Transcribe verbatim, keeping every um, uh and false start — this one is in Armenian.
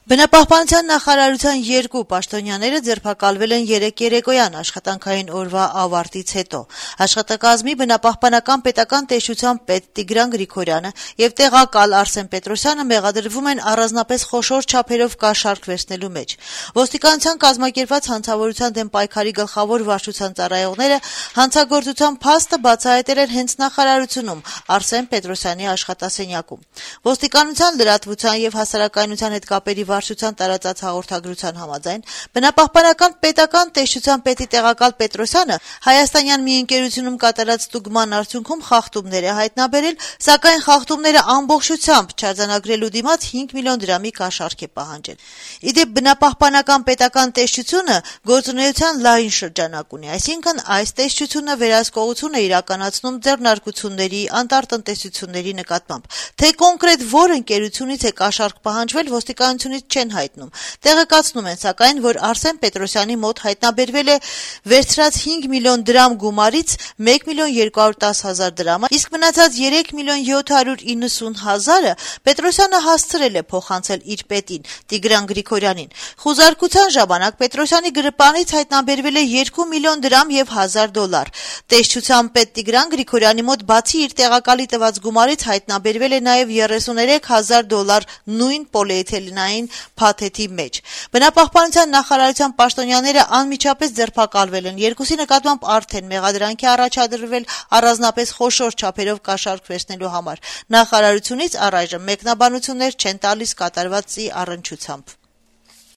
Բնապահպանության նախարարության երկու պաշտոնյաները ձերբակալվել են երեկ երեկոյան աշխատանքային օրվա ավարտից հետո։ Աշխատակազմի բնապահպանական պետական տեսչության պետ Տիգրան Գրիգորյանը եւ տեղակալ Արսեն Պետրոսյանը մեղադրվում են առանձնապես խոշոր չափերով կաշառք վերցնելու մեջ։ Ոստիկանության կազմակերպված հանցավորության դեմ պայքարի գլխավոր վարչության ծառայողները հանցագործության փաստը բացահայտել են հենց նախարարությունում Արսեն Պետրոսյանի աշխատասենյակում։ Ոստիկանության լրատվության եւ հասարակայնության հետ կապերի վարչության տարածած հաղորդագրության համաձայն բնապահպանական պետական տեսչության պետի տեղակալ Պետրոսյանը հայաստանյան մի ընկերությունում կատարած ստուգման արդյունքում խախտումներ է հայտնաբերել, սակայն խախտումները ամբողջությամբ չարձանագրելու դիմաց հինգ միլիոն դրամի կաշառք է պահանջել։ Իդեպ բնապահպանական պետական տեսչությունը գործունեության լայն շրջանակ ունի, այսինքն այս տեսչությունը վերահսկողություն է իրականացնում ձեռնարկությունների, անտարտնտեսությունների նկատմամբ։ Թե կոնկրետ որ ընկերությունից է կաշառք պահանջվել, ոստիկանությունից չեն հայտնում։ Տեղեկացնում են, սակայն, որ Արսեն Պետրոսյանի մոտ հայտնաբերվել է վերցրած հինգ միլիոն դրամ գումարից մեկ միլիոն երկու հարյուր դես հազար դրամը, իսկ մնացած երեք միլիոն յոթ հարյուր իննսուն հազարը Պետրոսյանը հասցրել է փոխանցել իր պետին Տիգրան Գրիգորյանին։ Խուզարկության ժամանակ Պետրոսյանի գրպանից հայտնաբերվել է երկու միլիոն դրամ եւ հազար դոլար։ Տեսչության պետ Տիգրան Գրիգորյանի մոտ բացի իր տեղակալի տված գումարից հայտնաբերվել է նաեւ երեսուներեք հազար դոլար նույն պոլիէթիլենային փաթեթի մեջ։ Բնապահպանության նախարարության պաշտոնյաները անմիջապես ձերբակալվել են, երկուսի նկատմամբ արդեն մեղադրանքի առաջադրվել առանձնապես խոշոր չափերով կաշառք վերցնելու համար։ Նախարարությունից առայժմ մեկնաբանություններ չեն տալիս կատարվածի առնչությամբ։